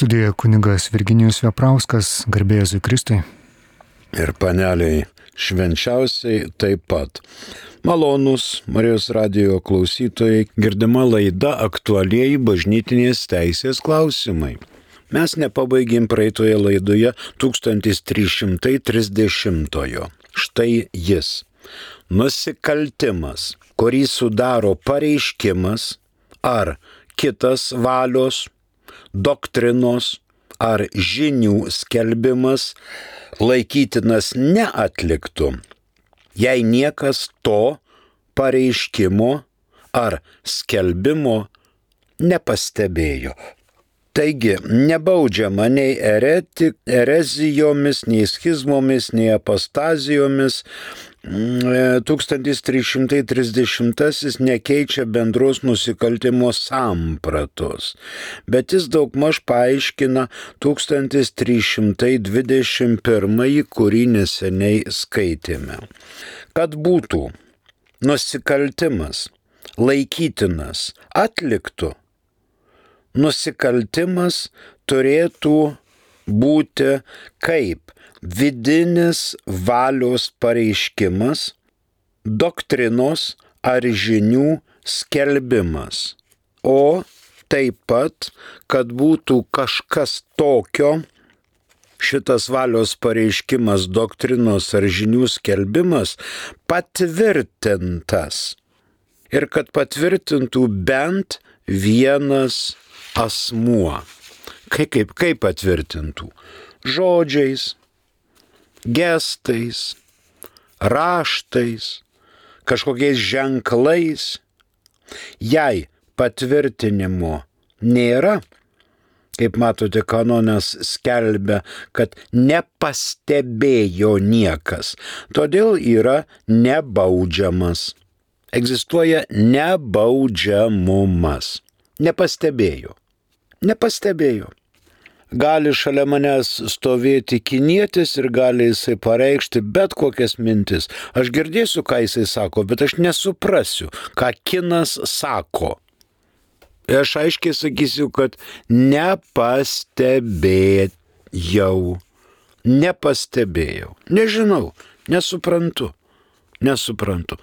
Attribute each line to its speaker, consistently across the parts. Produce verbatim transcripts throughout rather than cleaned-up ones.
Speaker 1: Studijoje kunigas Virginijus Veprauskas, garbė Jėzui Kristui.
Speaker 2: Ir paneliai švenčiausiai taip pat. Malonūs Marijos radijo klausytojai, girdima laida aktualieji bažnytinės teisės klausimai. Mes nepabaigėm praeitoje laidoje tūkstantis trys šimtai trisdešimtojo. Štai jis. Nusikaltimas, kurį sudaro pareiškimas ar kitas valios, doktrinos ar žinių skelbimas laikytinas neatliktu, jei niekas to pareiškimo ar skelbimo nepastebėjo. Taigi, nebaudžiama nei ereti, erezijomis, nei schizmomis, nei apostazijomis. tūkstantis trys šimtai trisdešimtasis nekeičia bendros nusikaltimo sampratos, bet jis daugmaž paaiškina tūkstantis trys šimtai dvidešimt pirmąjį, kurį neseniai skaitėme. Kad būtų nusikaltimas laikytinas atliktu, nusikaltimas turėtų būti kaip vidinis valios pareiškimas, doktrinos ar žinių skelbimas, o taip pat, kad būtų kažkas tokio, šitas valios pareiškimas, doktrinos ar žinių skelbimas patvirtintas ir kad patvirtintų bent vienas asmuo. Kaip, kaip, kaip patvirtintų? Žodžiais, gestais, raštais, kažkokiais ženklais. Jei patvirtinimo nėra, kaip matote, kanonas skelbia, kad nepastebėjo niekas, todėl yra nebaudžiamas. Egzistuoja nebaudžiamumas. Nepastebėjo. Nepastebėjo. Gali šalia manęs stovėti kinietis ir gali jisai pareikšti bet kokias mintis. Aš girdėsiu, ką jisai sako, bet aš nesuprasiu, ką kinas sako. Ir aš aiškiai sakysiu, kad nepastebėjau. Nepastebėjau. Nežinau, nesuprantu. Nesuprantu.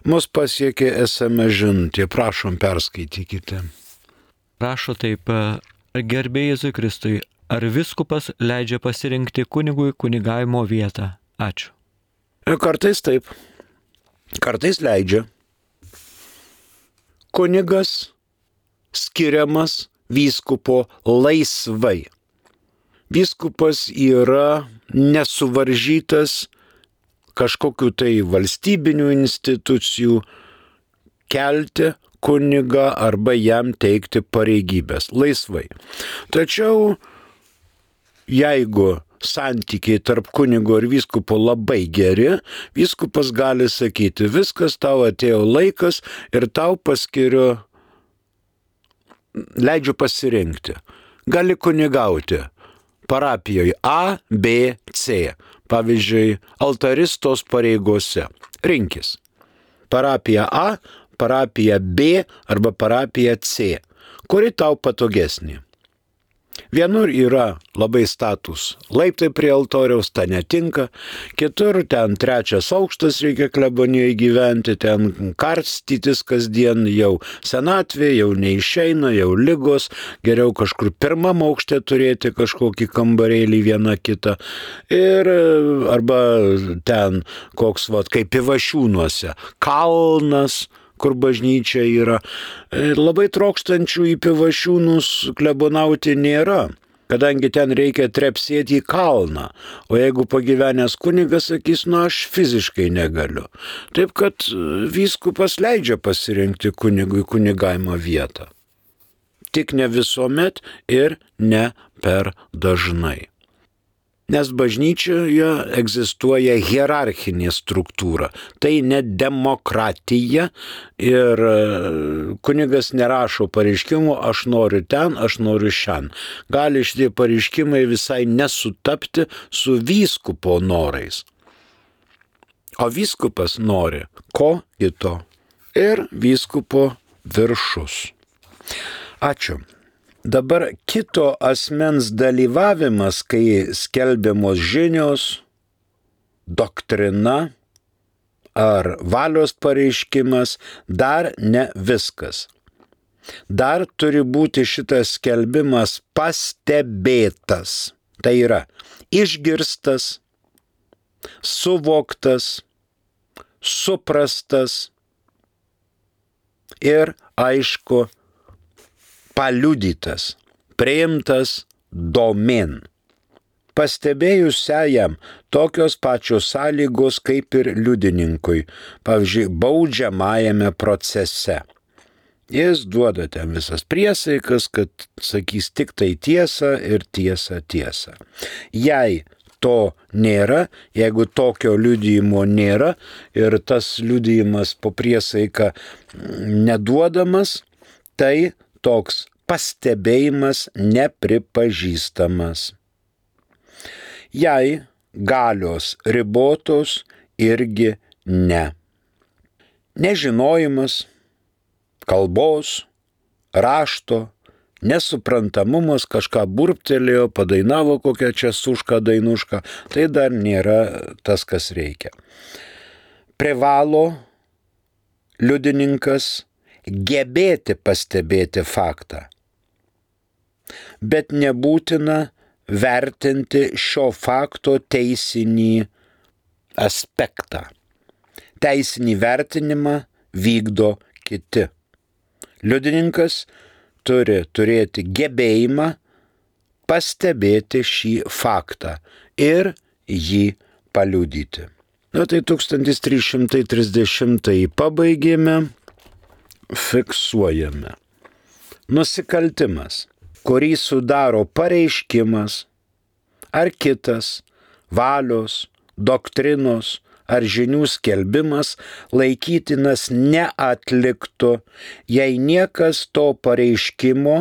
Speaker 2: Mus pasiekė es em es žinutė. Prašom, perskaitykite.
Speaker 3: Rašo taip, garbė Jėzui Kristui, ar viskupas leidžia pasirinkti kunigui kunigavimo vietą? Ačiū.
Speaker 2: Kartais taip. Kartais leidžia. Kunigas skiriamas vyskupo laisvai. Vyskupas yra nesuvaržytas kažkokių tai valstybinių institucijų kelti kunigą arba jam teikti pareigybės laisvai. Tačiau jeigu santykiai tarp kunigo ir vyskupo labai geri, vyskupas gali sakyti, viskas, tau atėjo laikas ir tau paskiriu, leidžiu pasirinkti. Gali kunigauti parapijoje A, B, C. Pavyzdžiui, altaristos pareigose. Rinkis. Parapija A, parapija B arba parapija C. Kuri tau patogesnė? Vienur yra labai status laiptai prie altoriaus, ta netinka. Kitur ten trečias aukštas reikia klebonijoje gyventi, ten karstytis kasdien, jau senatvė, jau neišeina, jau ligos. Geriau kažkur pirmam aukšte turėti kažkokį kambarėlį vieną kitą. Ir arba ten koks, vat, kaip Pivašiūnuose, kalnas, kur bažnyčia yra. Labai trokštančių į Pivašiūnus klebonauti nėra, kadangi ten reikia trepsėti į kalną, o jeigu pagyvenęs kunigas sakys, nu aš fiziškai negaliu. Taip kad vyskupas leidžia pasirinkti kunigui kunigavimo vietą. Tik ne visuomet ir ne per dažnai. Nes bažnyčioje egzistuoja hierarchinė struktūra. Tai ne demokratija ir kunigas nerašo pareiškimų, aš noriu ten, aš noriu šiandien. Gali šitie pareiškimai visai nesutapti su vyskupo norais. O vyskupas nori ko kito. Ir vyskupo viršus. Ačiū. Dabar kito asmens dalyvavimas, kai skelbiamos žinios, doktrina ar valios pareiškimas, dar ne viskas. Dar turi būti šitas skelbimas pastebėtas. Tai yra išgirstas, suvoktas, suprastas ir, aišku, paliudytas, priimtas domėn. Pastebėjusiajam tokios pačios sąlygos kaip ir liudininkui, pavyzdžiui, baudžiamajame procese. Jis duoda ten visas priesaikas, kad sakys tik tai tiesą ir tiesą tiesą. Jei to nėra, jeigu tokio liudijimo nėra ir tas liudijimas po priesaiką neduodamas, tai toks pastebėjimas nepripažįstamas. Jei galios ribotos, irgi ne. Nežinojimas, kalbos, rašto, nesuprantamumas, kažką burptelėjo, padainavo kokią čia sušką dainušką, tai dar nėra tas, kas reikia. Privalo liudininkas gebėti pastebėti faktą, bet nebūtina vertinti šio fakto teisinį aspektą. Teisinį vertinimą vykdo kiti. Liudininkas turi turėti gebėjimą pastebėti šį faktą ir jį paliudyti. Na tai tūkstantis trys šimtai trisdešimtąjį pabaigėme, fiksuojame. Nusikaltimas, kurį sudaro pareiškimas ar kitas valios, doktrinos ar žinių skelbimas, laikytinas neatliktu, jei niekas to pareiškimo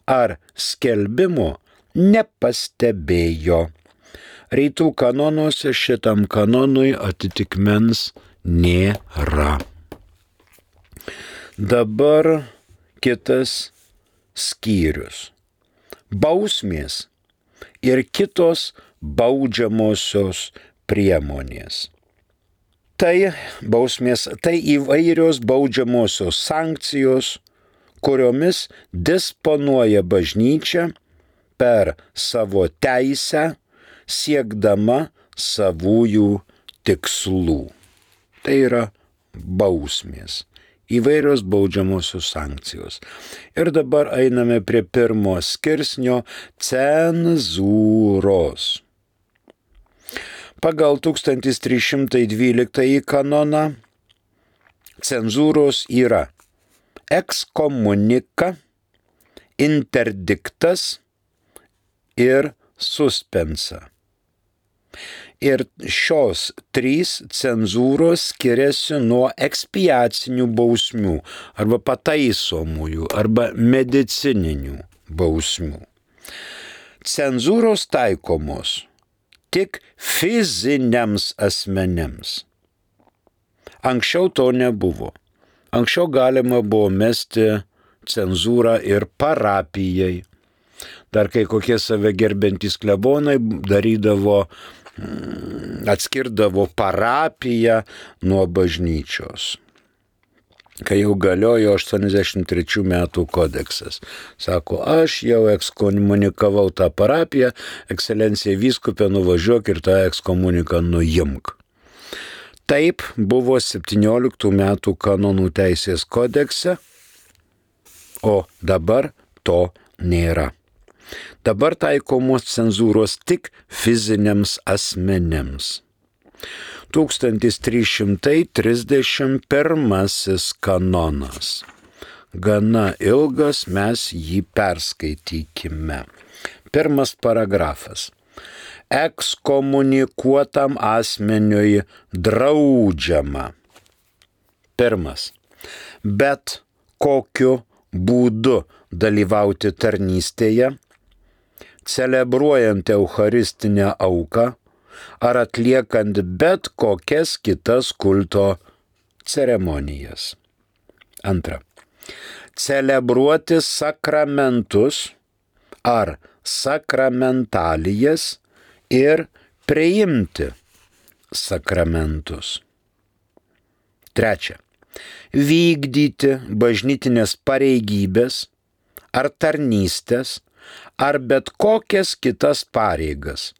Speaker 2: ar skelbimo nepastebėjo. Rytų kanonuose šitam kanonui atitikmens nėra. Dabar kitas skyrius. Bausmės ir kitos baudžiamosios priemonės. Tai bausmės, tai įvairios baudžiamosios sankcijos, kuriomis disponuoja bažnyčia per savo teisę, siekdama savųjų tikslų. Tai yra bausmės. Įvairios baudžiamosios sankcijos. Ir dabar einame prie pirmo skirsnio cenzūros. Pagal tūkstantis trys šimtai dvyliktąjį kanoną cenzūros yra ekskomunika, interdiktas ir suspensa. Ir šios trys cenzūros skiriasi nuo ekspiacinių bausmių arba pataisomųjų arba medicininių bausmių. Cenzūros taikomos tik fiziniams asmenėms. Anksčiau to nebuvo. Anksčiau galima buvo mesti cenzūrą ir parapijai. Dar kai kokie save gerbiantys klebonai darydavo, atskirdavo parapiją nuo bažnyčios. Kai jau galiojo aštuoniasdešimt trečių metų kodeksas. Sako, aš jau ekskomunikavau tą parapiją, ekscelencija vyskupė, nuvažiuok ir tą ekskomuniką nuimk. Taip buvo septynioliktų metų kanonų teisės kodekse, o dabar to nėra. Dabar taikomos cenzūros tik fiziniams asmenėms. tūkstantis trys šimtai trisdešimt pirmasis kanonas. Gana ilgas, mes jį perskaitykime. Pirmas paragrafas. Ekskomunikuotam asmeniui draudžiama. Pirmas. Bet kokiu būdu dalyvauti tarnystėje, celebruojant eucharistinę auką ar atliekant bet kokias kitas kulto ceremonijas. Antra. Celebruoti sakramentus ar sakramentalijas ir priimti sakramentus. Trečia. Vykdyti bažnytinės pareigybės ar tarnystės, ar bet kokias kitas pareigas,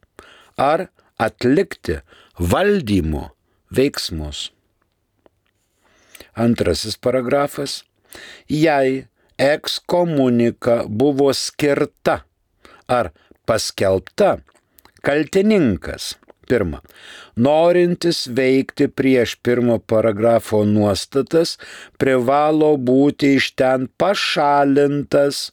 Speaker 2: ar atlikti valdymo veiksmus. Antrasis paragrafas. Jei ekskomunika buvo skirta ar paskelbta, kaltininkas, pirma, norintis veikti prieš pirmo paragrafo nuostatas, privalo būti iš ten pašalintas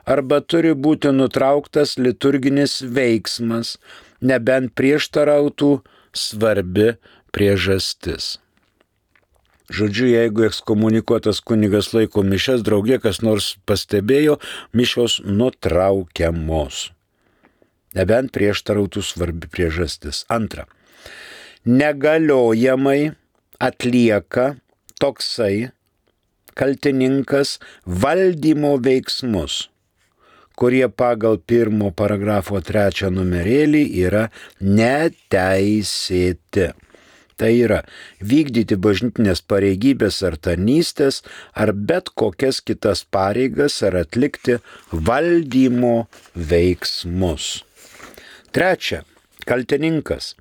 Speaker 2: arba turi būti nutrauktas liturginis veiksmas, nebent prieštarautų svarbi priežastis. Žodžiu, jeigu ekskomunikuotas kunigas laiko mišias, draugė kas nors pastebėjo, mišios nutraukiamos. Nebent prieštarautų svarbi priežastis. Antra. Negaliojamai atlieka toksai kaltininkas valdymo veiksmus, kurie pagal pirmo paragrafo trečią numerėlį yra neteisėti. Tai yra vykdyti bažnytinės pareigybės ar tarnystės, ar bet kokias kitas pareigas, ar atlikti valdymo veiksmus. Trečia, kaltininkas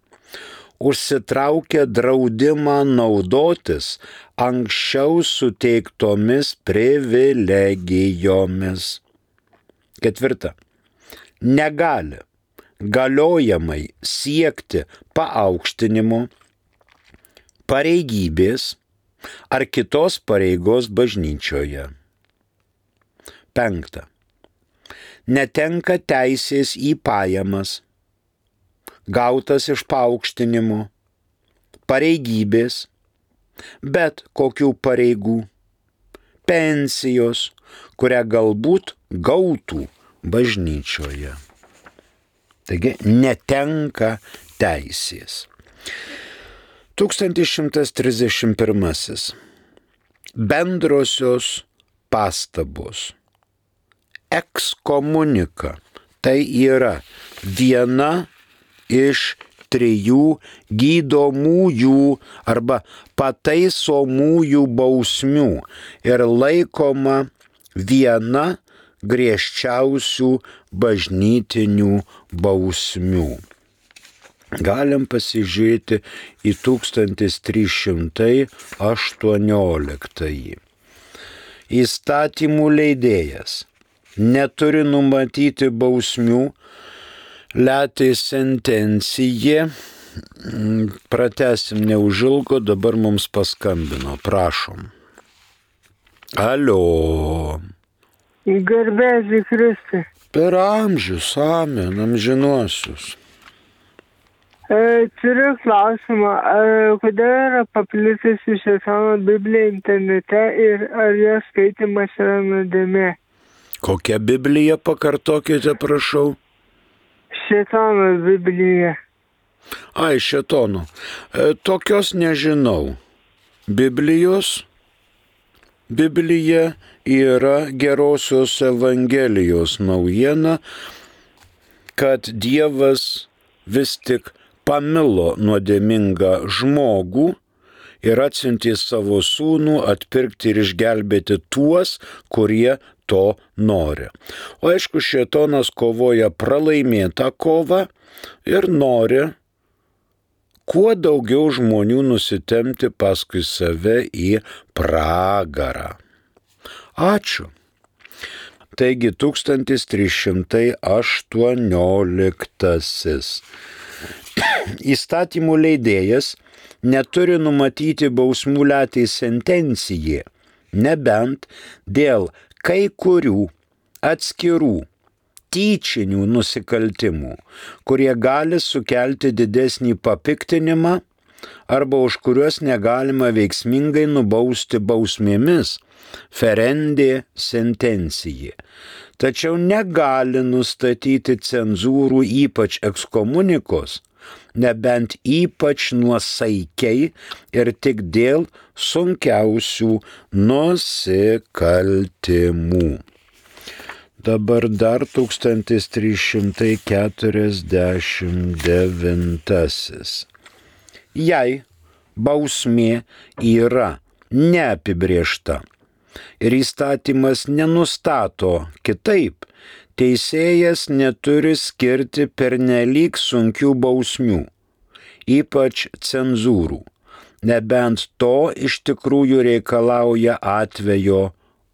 Speaker 2: užsitraukia draudimą naudotis anksčiau suteiktomis privilegijomis. Ketvirta, negali galiojamai siekti paaukštinimo, pareigybės ar kitos pareigos bažnyčioje. Penkta. Netenka teisės į pajamas, gautas iš paaukštinimo, pareigybės, bet kokių pareigų, pensijos, kurią galbūt gautų bažnyčioje. Taigi netenka teisės. tūkstantis šimtas trisdešimt pirmasis. Bendrosios pastabos. Ekskomunika. Tai yra viena iš trijų gydomųjų arba pataisomųjų bausmių ir laikoma viena griežčiausių bažnytinių bausmių. Galim pasižiūrėti į tūkstantis trys šimtai aštuonioliktąjį. Įstatymų leidėjas neturi numatyti bausmių, letė sentencija. Pratesim neužilgo, dabar mums paskambino, prašom. Alio.
Speaker 4: Garbėsiu Kristui.
Speaker 2: Per amžius, amen, amžinuosius.
Speaker 4: E, turiu klausimą, e, kodėl yra paplitusi Šėtono Biblija internete ir ar jos skaitimas yra nuodėmė?
Speaker 2: Kokią Bibliją pakartokite, prašau?
Speaker 4: Šėtono Biblija.
Speaker 2: Ai, Šėtono. E, tokios nežinau. Biblijos? Biblija yra gerosios Evangelijos naujiena, kad Dievas vis tik pamilo nuodėmingą žmogų ir atsiuntė savo sūnų atpirkti ir išgelbėti tuos, kurie to nori. O aišku, Šėtonas kovoja pralaimėtą kovą ir nori kuo daugiau žmonių nusitempti paskui save į pragarą. Ačiū. Taigi tūkstantis trys šimtai aštuonioliktasis. Įstatymų leidėjas neturi numatyti bausmų letei sentencijai, nebent dėl kai kurių atskirų tyčinių nusikaltimų, kurie gali sukelti didesnį papiktinimą arba už kuriuos negalima veiksmingai nubausti bausmėmis, ferendė sentencijai. Tačiau negali nustatyti cenzūrų ypač ekskomunikos, nebent ypač nuosaikiai ir tik dėl sunkiausių nusikaltimų. Dabar dar tūkstantis trys šimtai keturiasdešimt devintasis. Jei bausmė yra neapibrėžta ir įstatymas nenustato kitaip, teisėjas neturi skirti pernelyg sunkių bausmių, ypač cenzūrų, nebent to iš tikrųjų reikalauja atvejo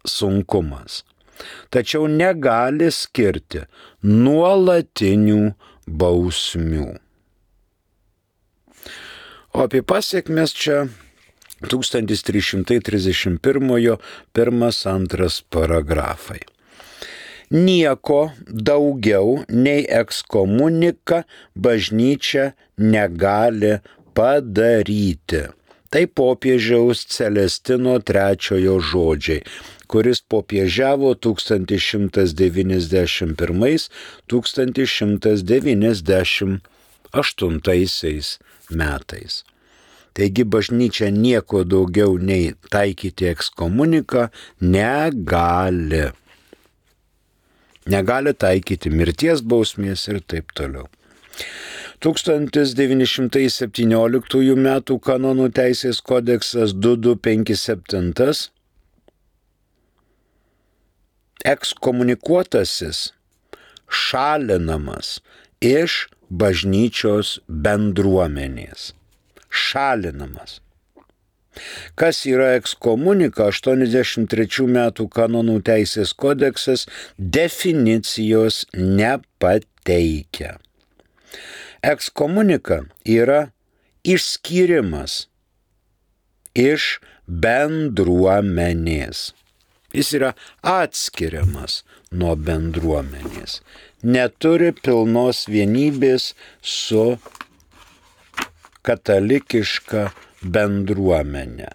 Speaker 2: sunkumas. Tačiau negali skirti nuolatinių bausmių. O apie pasiekmes čia tūkstantis trys šimtai trisdešimt pirmojo pirmas antras paragrafai. Nieko daugiau nei ekskomunika bažnyčia negali padaryti. Tai popiežiaus Celestino trečiojo žodžiai, kuris popiežiavo tūkstantis šimtas devyniasdešimt pirmais - tūkstantis šimtas devyniasdešimt aštuntaisiais metais. Taigi bažnyčia nieko daugiau nei taikyti ekskomuniką negali. Negali taikyti mirties bausmės ir taip toliau. tūkstantis devyni šimtai septynioliktųjų metų kanonų teisės kodeksas du du penki septyni ekskomunikuotasis šalinamas iš bažnyčios bendruomenės. Šalinamas. Kas yra ekskomunika? aštuoniasdešimt trečių metų kanonų teisės kodeksas definicijos nepateikia. Ekskomunika yra išskyrimas iš bendruomenės. Jis yra atskiriamas nuo bendruomenės. Neturi pilnos vienybės su katalikiška bendruomenė.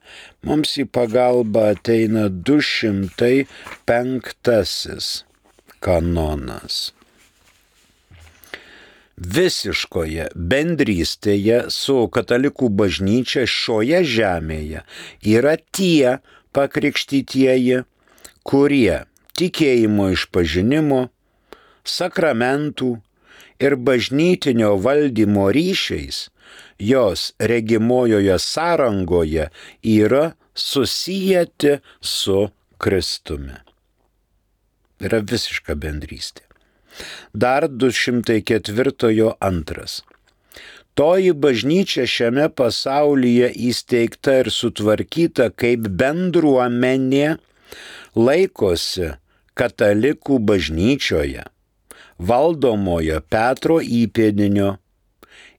Speaker 2: Mums į pagalbą ateina du šimtai penktasis kanonas. Visiškoje bendrystėje su katalikų bažnyčia šioje žemėje yra tie pakrikštytieji, kurie tikėjimo išpažinimo, sakramentų ir bažnytinio valdymo ryšiais jos regimojoje sąrangoje yra susijęti su Kristumi. Yra visiška bendrystė. Dar du šimtai ketvirtojo antras. Toji bažnyčia šiame pasaulyje įsteigta ir sutvarkyta kaip bendruomenė laikosi katalikų bažnyčioje, valdomojo Petro įpėdinio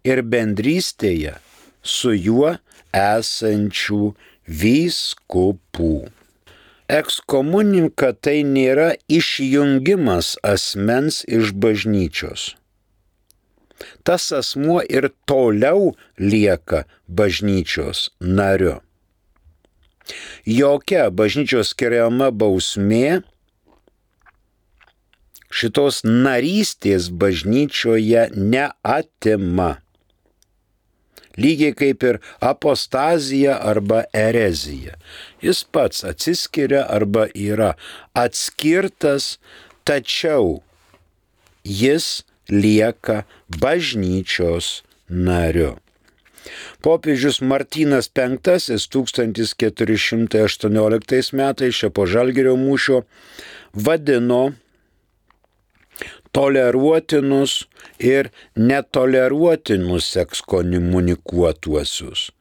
Speaker 2: ir bendrystėje su juo esančių vyskupų. Ekskomunika tai nėra išjungimas asmens iš bažnyčios. Tas asmuo ir toliau lieka bažnyčios nariu. Jokia bažnyčios skiriama bausmė šitos narystės bažnyčioje neatima. Lygiai kaip ir apostazija arba erezija. Jis pats atsiskiria arba yra atskirtas, tačiau jis lieka bažnyčios nariu. Popiežius Martynas penktasis tūkstantis keturi šimtai aštuonioliktais metais čia po Žalgirio mūšio vadino toleruotinus ir netoleruotinus ekskomunikuotuosius.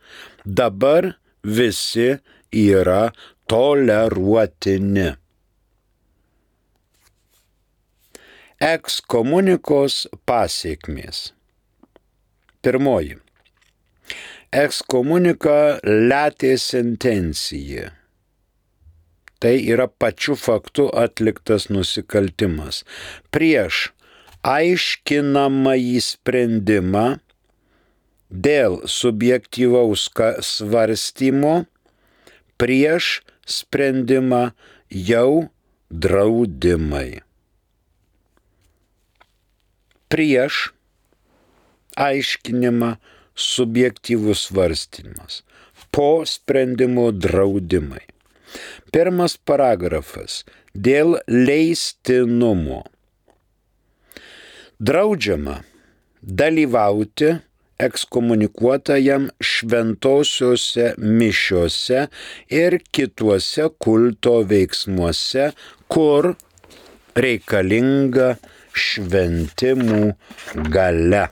Speaker 2: Dabar visi yra toleruotini. Ekskomunikos pasiekmės. Pirmoji. Ekskomunika letė sentencija. Tai yra pačiu faktu atliktas nusikaltimas. Prieš aiškinamąjį sprendimą dėl subjektyvaus svarstymo, prieš sprendimą jau draudimai. Prieš aiškinimą subjektyvus svarstymas, po sprendimo draudimai. Pirmas paragrafas. Dėl leistinumo. Draudžiama dalyvauti ekskomunikuotajam šventosiuose mišiuose ir kituose kulto veiksmuose, kur reikalinga šventimų galia.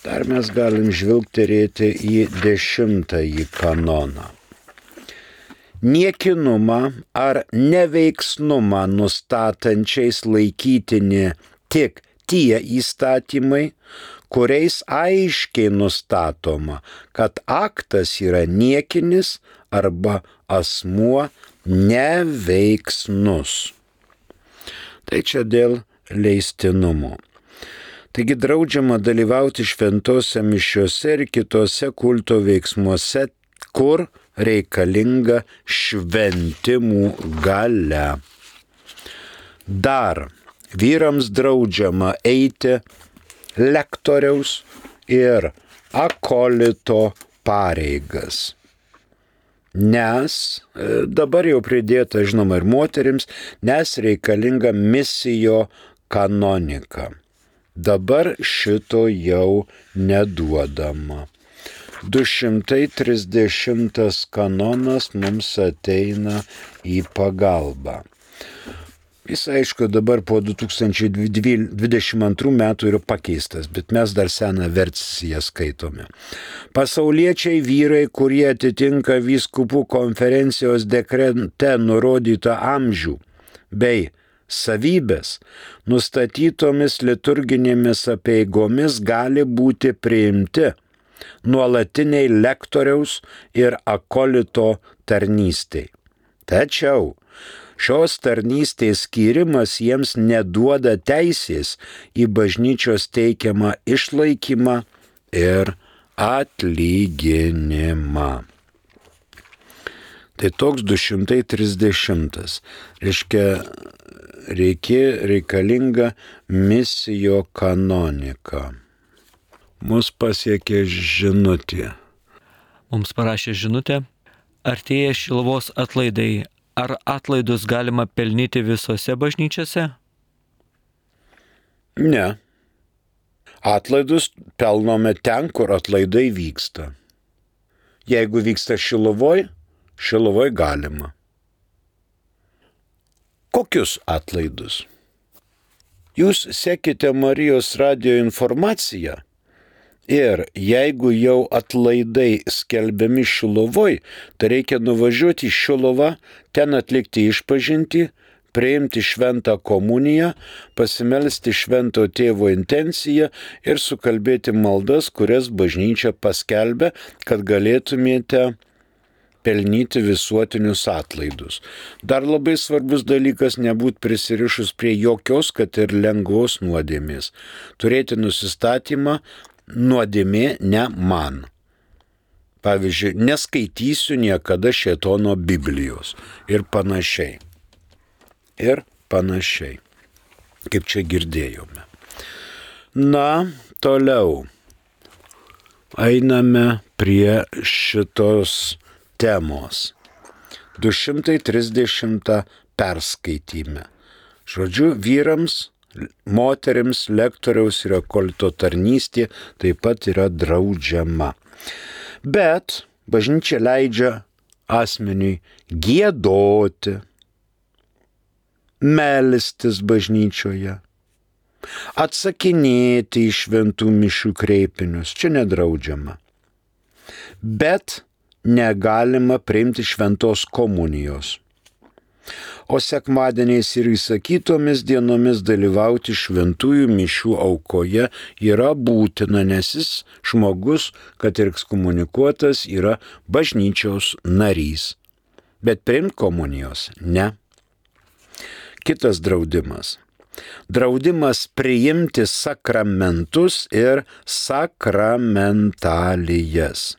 Speaker 2: Dar mes galim žvilgterėti į dešimtąjį kanoną. Niekinumą ar neveiksnumą nustatančiais laikytini tik tie įstatymai, kuriais aiškiai nustatoma, kad aktas yra niekinis arba asmuo neveiksnus. Tai čia dėl leistinumo. Taigi draudžiama dalyvauti šventose mišiuose ir kitose kulto veiksmuose, kur reikalinga šventimų galia. Dar vyrams draudžiama eiti lektoriaus ir akolito pareigas. Nes, dabar jau pridėta, žinoma, ir moterims, nes reikalinga misijo kanonika. Dabar šito jau neduodama. du šimtai trisdešimtas kanonas mums ateina į pagalbą. Jis, aišku, dabar po du tūkstančiai dvidešimt antrų metų yra pakeistas, bet mes dar seną versiją skaitome. Pasauliečiai vyrai, kurie atitinka vyskupų konferencijos dekrete nurodytą amžių bei savybės, nustatytomis liturginėmis apeigomis gali būti priimti nuolatiniai lektoriaus ir akolito tarnystei. Tačiau šios tarnystės skyrimas jiems neduoda teisės į bažnyčios teikiamą išlaikymą ir atlyginimą. Tai toks du šimtai trisdešimtas. Reiškia, reikia, reikalinga misijo kanonika. Mus pasiekė žinutė.
Speaker 3: Mums parašė žinutė, artėja Šiluvos atlaidai. Ar atlaidus galima pelnyti visose bažnyčiose?
Speaker 2: Ne. Atlaidus pelnome ten, kur atlaidai vyksta. Jeigu vyksta Šiluvoj, Šiluvoj galima. Kokius atlaidus? Jūs sekite Marijos radijo informaciją ir jeigu jau atlaidai skelbiami Šiluvoj, tai reikia nuvažiuoti į Šiluvą, ten atlikti išpažintį, priimti šventą komuniją, pasimelsti švento tėvo intenciją ir sukalbėti maldas, kurias bažnyčia paskelbė, kad galėtumėte pelnyti visuotinius atlaidus. Dar labai svarbus dalykas nebūti prisirišus prie jokios, kad ir lengvos nuodėmės. Turėti nusistatymą, nuodėmė ne man. Pavyzdžiui, neskaitysiu niekada šėtono Biblijos ir panašiai. Ir panašiai, kaip čia girdėjome. Na, toliau einame prie šitos temos. du šimtai trisdešimtą perskaityme. Žodžiu, vyrams, moterims, lektoriaus ir akolito tarnystė taip pat yra draudžiama. Bet bažnyčia leidžia asmeniui giedoti, melstis bažnyčioje, atsakinėti į šventų mišių kreipinius. Čia nedraudžiama. Bet negalima priimti šventos komunijos. O sekmadieniais ir įsakytomis dienomis dalyvauti šventųjų mišių aukoje yra būtina, nes jis žmogus, kad ir ekskomunikuotas, yra bažnyčios narys. Bet priimti komunijos ne. Kitas draudimas. Draudimas priimti sakramentus ir sakramentalijas.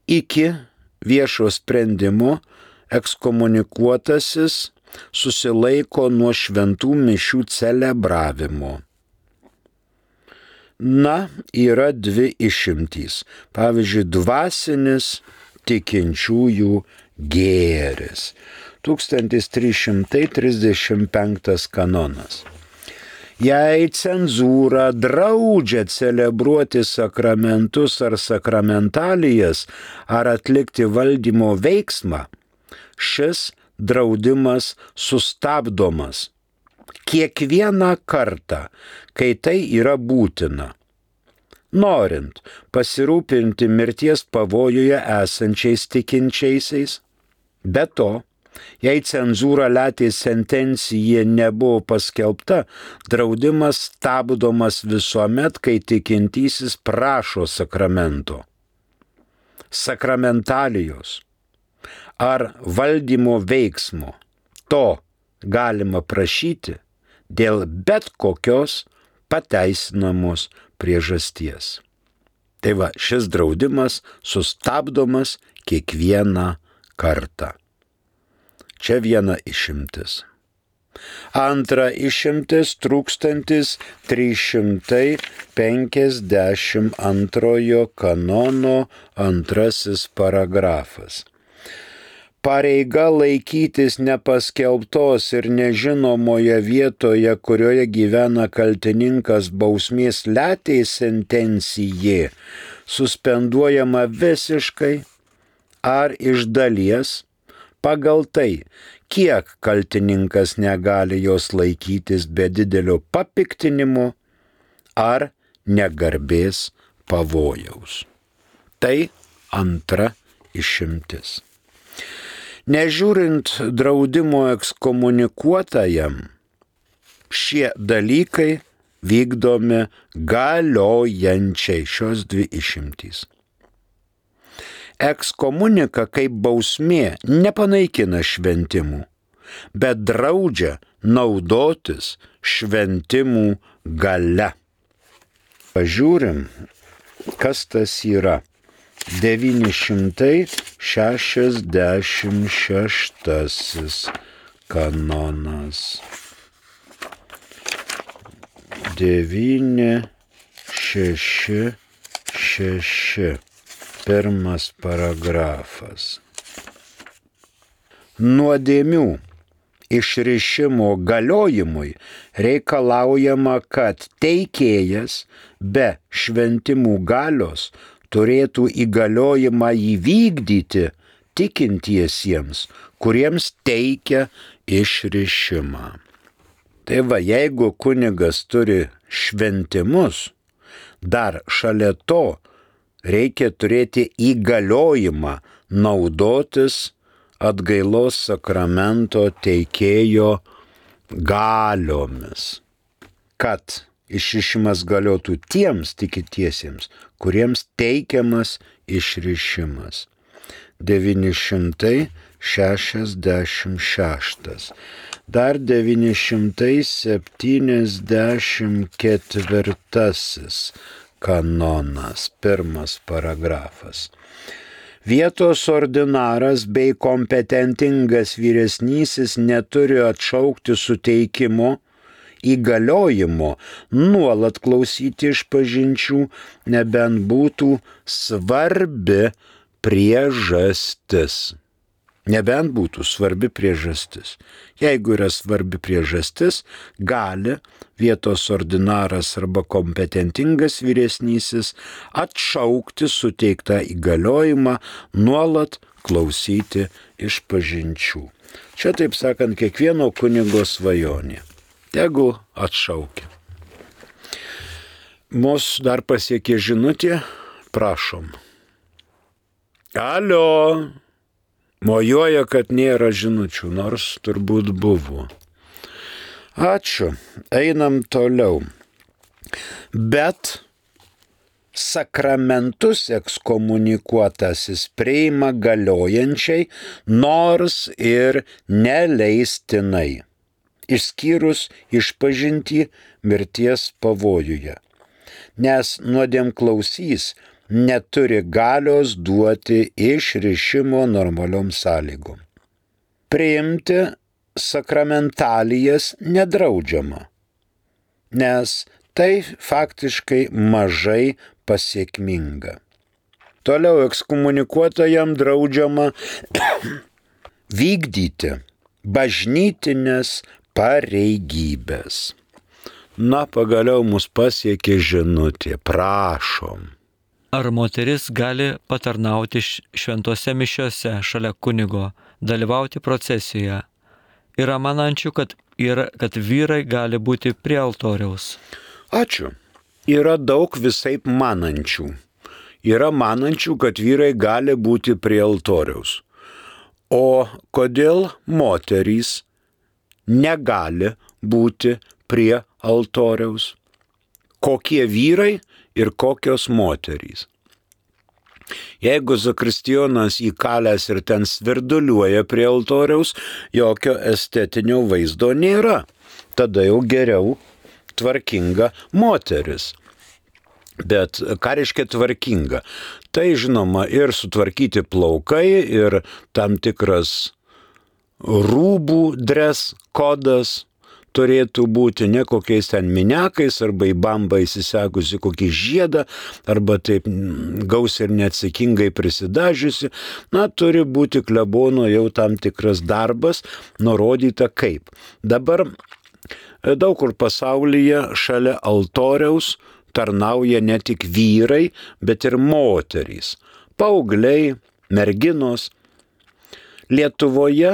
Speaker 2: Iki viešo sprendimo ekskomunikuotasis susilaiko nuo šventų mišių celebravimo. Na, yra dvi išimtys. Pavyzdžiui, dvasinis tikinčiųjų gėris. tūkstantis trys šimtai trisdešimt penktas kanonas. Jei cenzūra draudžia celebruoti sakramentus ar sakramentalijas ar atlikti valdymo veiksmą, šis draudimas sustabdomas kiekvieną kartą, kai tai yra būtina, norint pasirūpinti mirties pavojuje esančiais tikinčiaisiais. Be to, jei cenzūra letės sentencija nebuvo paskelbta, draudimas stabdomas visuomet, kai tikintysis prašo sakramento, sakramentalijos ar valdymo veiksmo. To galima prašyti dėl bet kokios pateisinamos priežasties. Tai va, šis draudimas sustabdomas kiekvieną kartą. Čia viena išimtis. Antra išimtis tūkstantis trys šimtai penkiasdešimt antrojo kanono antrasis paragrafas. Pareiga laikytis nepaskelbtos ir nežinomoje vietoje, kurioje gyvena kaltininkas bausmės letės sentencijė, suspenduojama visiškai ar iš dalies pagal tai, kiek kaltininkas negali jos laikytis be didelio papiktinimo ar negarbės pavojaus. Tai antra išimtis. Nežiūrint draudimo ekskomunikuotajam, šie dalykai vykdomi galiojančiai, šios dvi išimtys. Ekskomunika kaip bausmė nepanaikina šventimų, bet draudžia naudotis šventimų galia. Pažiūrim, kas tas yra. devyni šimtai šešiasdešimt šeštasis kanonas. devyni šeši šeši. Pirmas paragrafas. Nuodėmių išrišimo galiojimui reikalaujama, kad teikėjas be šventimų galios turėtų įgaliojimą įvykdyti tikintiesiems, kuriems teikia išrišimą. Tai va, jeigu kunigas turi šventimus, dar šalia to reikia turėti įgaliojimą naudotis atgailos sakramento teikėjo galiomis, kad išrišimas galiotų tiems tikintiesiems, kuriems teikiamas išrišimas. devyni šimtai šešiasdešimt šeštas. Dar devyni šimtai septyniasdešimt ketvirtasis kanonas, pirmas paragrafas. Vietos ordinaras bei kompetentingas vyresnysis neturi atšaukti suteikimo įgaliojimo nuolat klausyti išpažinčių, nebent būtų svarbi priežastis. Nebent būtų svarbi priežastis. Jeigu yra svarbi priežastis, gali vietos ordinaras arba kompetentingas vyresnysis atšaukti suteiktą įgaliojimą nuolat klausyti išpažinčių. Čia, taip sakant, kiekvieno kunigo svajonė. Tegu atšaukia. Mus dar pasiekė žinutė, prašom. Alio! Mojuoja, kad nėra žinučių, nors turbūt buvo. Ačiū, einam toliau. Bet sakramentus ekskomunikuotasis priima galiojančiai, nors ir neleistinai, išskyrus išpažintį mirties pavojuje, nes nuodėmklausys neturi galios duoti išrišimo normaliom sąlygom. Priimti sakramentalijas nedraudžiama, nes tai faktiškai mažai pasiekminga. Toliau ekskomunikuotajam draudžiama vykdyti bažnytinės pareigybės. Na, pagaliau mus pasiekė žinutė, prašom.
Speaker 3: Ar moteris gali patarnauti šventose mišiose šalia kunigo, dalyvauti procesijoje? Yra manančių, kad, yra, kad vyrai gali būti prie altoriaus.
Speaker 2: Ačiū. Yra daug visaip manančių. Yra manančių, kad vyrai gali būti prie altoriaus. O kodėl moterys negali būti prie altoriaus? Kokie vyrai ir kokios moterys? Jeigu zakristijonas įkalęs ir ten svirduliuoja prie altoriaus, jokio estetinio vaizdo nėra. Tada jau geriau tvarkinga moteris. Bet ką reiškia tvarkinga? Tai žinoma ir sutvarkyti plaukai, ir tam tikras rūbų dres kodas turėtų būti, ne kokiais ten miniakais arba į bambą įsisekusi kokį žiedą, arba taip gausiai ir neatsakingai prisidažiusi. Na, turi būti klebono jau tam tikras darbas, nurodyta kaip. Dabar daug kur pasaulyje šalia altoriaus tarnauja ne tik vyrai, bet ir moterys, paaugliai, merginos. Lietuvoje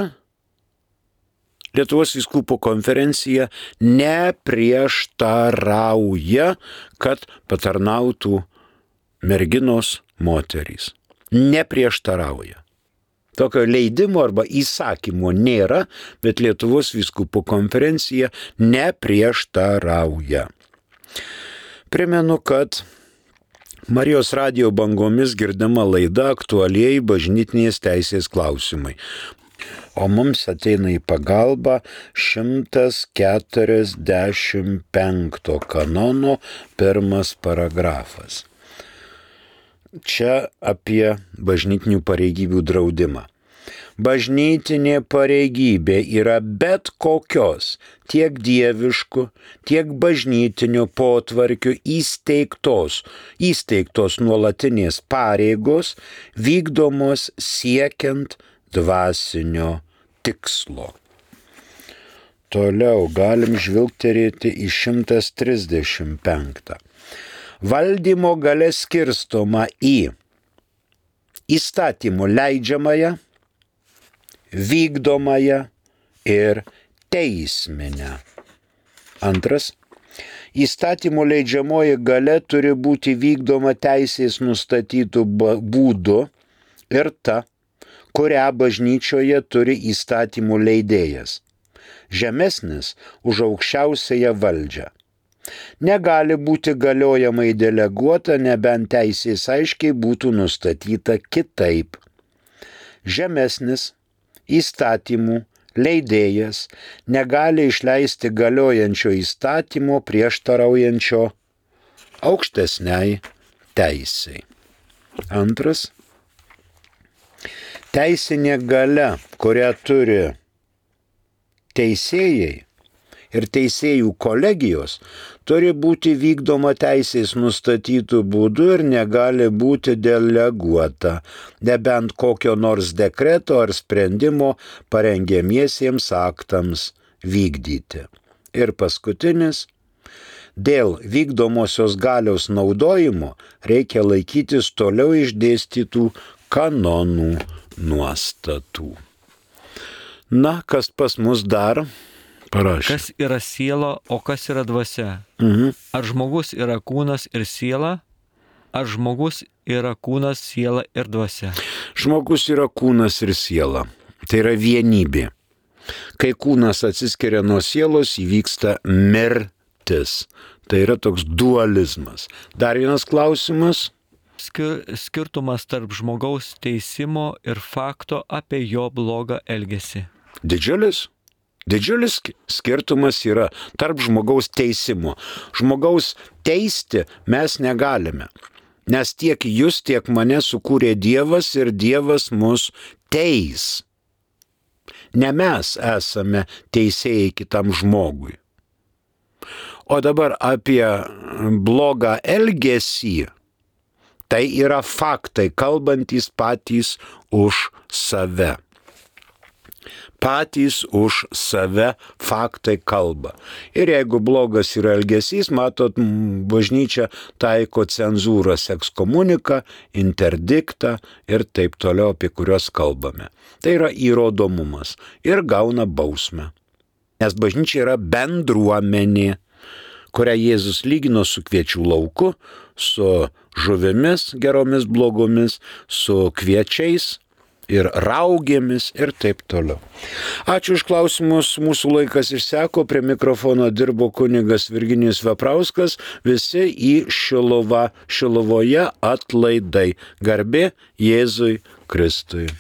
Speaker 2: Lietuvos vyskupų konferencija neprieštarauja, kad patarnautų merginos moterys. Neprieštarauja. Tokio leidimo arba įsakymo nėra, bet Lietuvos vyskupų konferencija neprieštarauja. Primenu, kad Marijos radijo bangomis girdama laida aktualieji bažnytinės teisės klausimai. O mums ateina į pagalbą šimtas keturiasdešimt penkto kanono pirmas paragrafas. Čia apie bažnytinių pareigybių draudimą. Bažnytinė pareigybė yra bet kokios tiek dieviškų, tiek bažnytinio potvarkių įsteigtos, įsteigtos nuolatinės pareigos, vykdomos siekiant dvasinio tikslo. Toliau galim žvilgterėti į šimtas trisdešimt penktą. Valdymo galia skirstoma į įstatymų leidžiamąją, vykdomąją ir teisminę. Antras. Įstatymų leidžiamoji galia turi būti vykdoma teisės nustatytų būdu ir ta, kurią bažnyčioje turi įstatymų leidėjas, žemesnis už aukščiausiąją valdžią. Negali būti galiojamai deleguota, nebent teisės aiškiai būtų nustatyta kitaip. Žemesnis įstatymų leidėjas negali išleisti galiojančio įstatymo prieštaraujančio aukštesniai teisei. Antras. Teisinė galia, kurią turi teisėjai ir teisėjų kolegijos, turi būti vykdoma teisės nustatytų būdų ir negali būti deleguota, nebent kokio nors dekreto ar sprendimo parengiamiesiems aktams vykdyti. Ir paskutinis. Dėl vykdomosios galios naudojimo reikia laikytis toliau išdėstytų kanonų nuostatų. Na, kas pas mus dar parašė?
Speaker 3: Kas yra siela, o kas yra dvasia?
Speaker 2: Mhm.
Speaker 3: Ar žmogus yra kūnas ir siela? Ar žmogus yra kūnas, siela ir dvasia?
Speaker 2: Žmogus yra kūnas ir siela. Tai yra vienybė. Kai kūnas atsiskiria nuo sielos, įvyksta mirtis. Tai yra toks dualizmas. Dar vienas klausimas.
Speaker 3: Skirtumas tarp žmogaus teisimo ir fakto apie jo blogą elgesį.
Speaker 2: Didžiulis. Didžiulis skirtumas yra tarp žmogaus teisimo. Žmogaus teisti mes negalime, nes tiek jūs, tiek mane sukūrė Dievas ir Dievas mus teis. Ne mes esame teisėjai kitam žmogui. O dabar apie blogą elgesį. Tai yra faktai, kalbantys patys už save. Patys už save faktai kalba. Ir jeigu blogas yra elgesys, matot, bažnyčia taiko cenzūrą, ekskomuniką, interdiktą ir taip toliau, apie kuriuos kalbame. Tai yra įrodomumas ir gauna bausmę. Nes bažnyčia yra bendruomenė, kurią Jėzus lygino su kviečių lauku, su žuvimis geromis blogomis, su kviečiais ir raugėmis ir taip toliau. Ačiū už klausimus, mūsų laikas išseko, prie mikrofono dirbo kunigas Virginijus Veprauskas, visi į Šiluvą, Šiluvoje atlaidai. Garbė Jėzui Kristui.